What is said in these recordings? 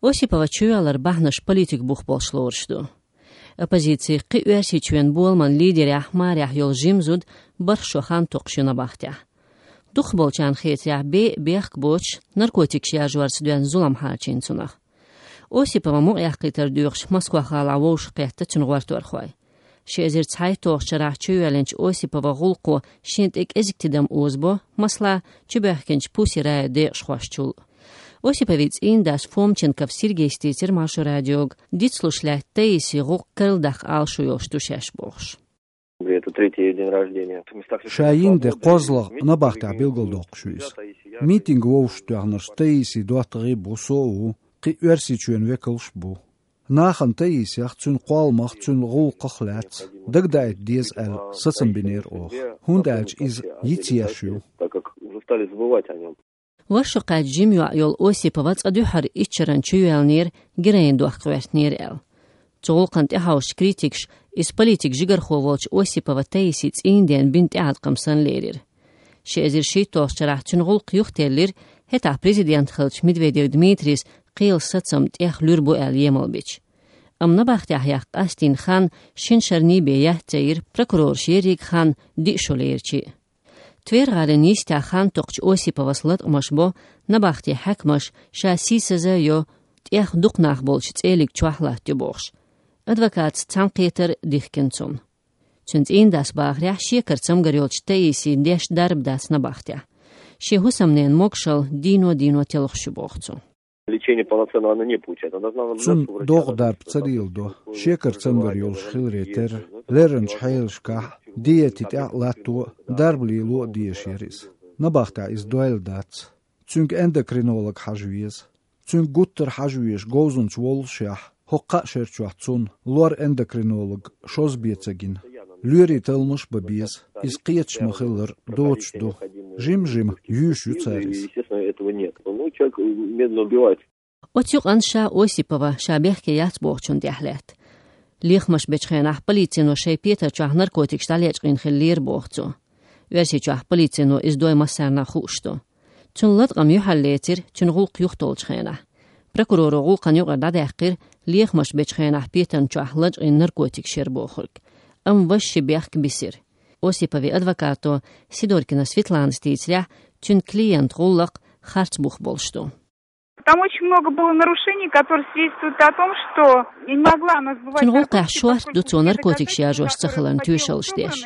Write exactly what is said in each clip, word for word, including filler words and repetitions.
Осипова чувеллар бахьанаш политик бух болуш лоруш ду. Оппозицин кхин Оьрсийчоьнан боламан лидерехь, марехь йолу жима зуда бархӀ шо хан токхуш ю набахтехь. Дукхахболчарна хетарехь, бен а бехк боцуш, наркотикаш яржорца доьзна зулам хьарчийна цунах. Осипова мукъаяккхийтар доьхуш Москва-гӀалахь вовшахкхетта цуьнан гӀорторхой. Ши эзар цхьайтталгӀачу шарахь чуйоьллинчу Осипова гӀуллакхо шена тӀе кӀезиг тидам озабо, масала, чубоьхкинчу Пусси Рая декъашхошчул. Осиповн цӀийнан дас Фомченков Сергейс дийцира Маршо радиога, дицлуш лаьтта Таисин гӀуллакх карладаккха Ӏалашо йолуш ду шаьш бохуш. Это третий день рождения. Ша йина де кхозлагӀа набахтехь билгалдоккхуш ю иза. Митинг вовшахтоьхнарш Таисин доттагӀий бу, со а ву, кхин Оьрсийчоьнан векалш а бу. Нахана Таисех, цуьнан кхолламах, цуьнан гӀуллакхах лаьцна дагадаийта деза аьлла сацам бинера оха, хӀунда аьлча иза йицъеш ю. Так как уже стали забывать о нём. Вовшахкхетта жима йоӀ йолу Осипова цкъа дуьххьара итт шарна чуйоьллинера героин дохка гӀоьртинера аьлла. Цу гӀуллакхна тӀехьовсучу критикаша иза политик жигархо волчу Осипова Таисин цӀийнан ден бина тӀеӀаткъам санна лерира. Ши эзар шийтталгӀачу шарахь цуьнан гӀуллакх юхателлира, хӀетахь президент хиллачу Медведев Дмитрийс кхелан сацам тӀех луьра бу аьлла емал бича. Амма набахтехь яккха къастийна хан шина шарний бен яц ца йира, прокурораш ерриг хан диъ шо лерча а. Тверь-гӀалин йистехь хан токхучу Осиповас латкъамаш бо, набахтин хьаькамаш ша сийсаза а йо, тӀех дукха нах болчу цӀелиг чохь латтайо бохуш. Адвокатца цхьаьнакхетар дихкина цунна. Цуьнан цӀийнан дас бахарехь, шекара цамгар йолчу Таисин деш дарба дац набахтехь. Шен хӀусамненан могушалла дийно-дийно телхаш ю боху цо. Лечение полноценного она не получает. Она должна наблюдаться у врача. Цунна догӀу дарба ца леладо, шекара цамгар йолуш хиларе терра, лерринчу хьелашкахь диете тӀехь а латто а, дарба лело а дезаш яра иза. Набахтехь иза дойла дац. Цуьнга эндокринолог хьажа веза. Цуьнга гуттар хьажа везаш говзанча воллушехь, хӀокху кхаа шерачохь цунна лор эндокринолог шозза бен ца гина. Лоьрийн талламаш а бан беза, иза кхеташ ма-хиллара доцуш ду. Жим-жима юьйш ю цара иза. Естественно, этого нет. Ну, человек медленно убивает. Оцу юкъанна ша Осипова ша бехке яц бохучунна тӀехь лаьтта. Лехамаш бечу хенахь полицино шайн петар чохь наркотикаш дӀалечкъийна хиллера боху цо. Оьрсийчохь полицино иза дой массарна а хууш ду. Цунна латкъам юьхьарлецира цуьнан гӀуллакх юхатолучу хенахь. Прокуроро гӀуллакхана юкъара дӀадаьккхира лехамаш бечу хенахь петарна чохь лачкъийна наркотикаш яра бохург. Амма важа ши бехк бисира. Осиповн адвокато Сидоркина Светланас дийцарехь, цуьнан клиентан гӀуллакх харц бух болуш ду. Там очень много было нарушений, которые свидетельствуют о том, что я не могла она сбывать наркотики. Цуьнан гӀуллакхехь шорта ду цо наркотикаш яржош ца хиларна тоьшаллаш деш.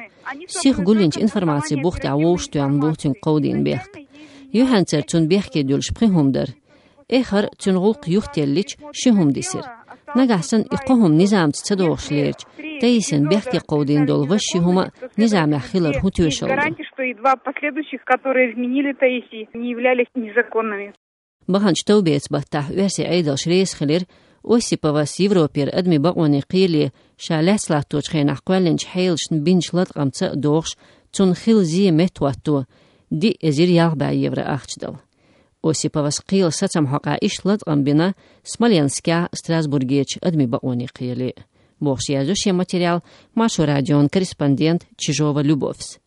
Сиха гулйинчу информацин бух тӀехь вовшахтоьхна бу цуьнга кховдийна бехк. Юьхьанцара цунна бехке дуьллуш пхи хӀума дара. Эххар а цуьнан гӀуллакх юхателлича ши хӀума дисира. Нагахь санна и кхо хӀума низамца ца дохуш лерча, Таисина бехке кховдийна долу важа ши хӀума а низамехь хилар хӀун тоьшалла ду? Гарантии, что и два последующих, которые вменили Таисе, не являлись незаконными. Баханчу товбеца баттахь оьрсийн Ӏедалш реза хилира, Осиповас Европера адамийн бакъонийн кхеле ша лаьцна латточу хенахь кхоьллинчу хьелашна бинчу латкъамца а догӀуш, цунна хилла зен меттахӀотто диъ эзар ялх бӀе евро ахча дала. Осиповас кхелан сацам хьокъехь иштта латкъам бина Смоленскехь, Страсбургерчу адамийн бакъонийн кхеле а, бохуш яздо шен материал Маршо радион корреспондента Чижова Любовьс.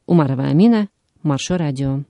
Умарова Амина, Маршо радио.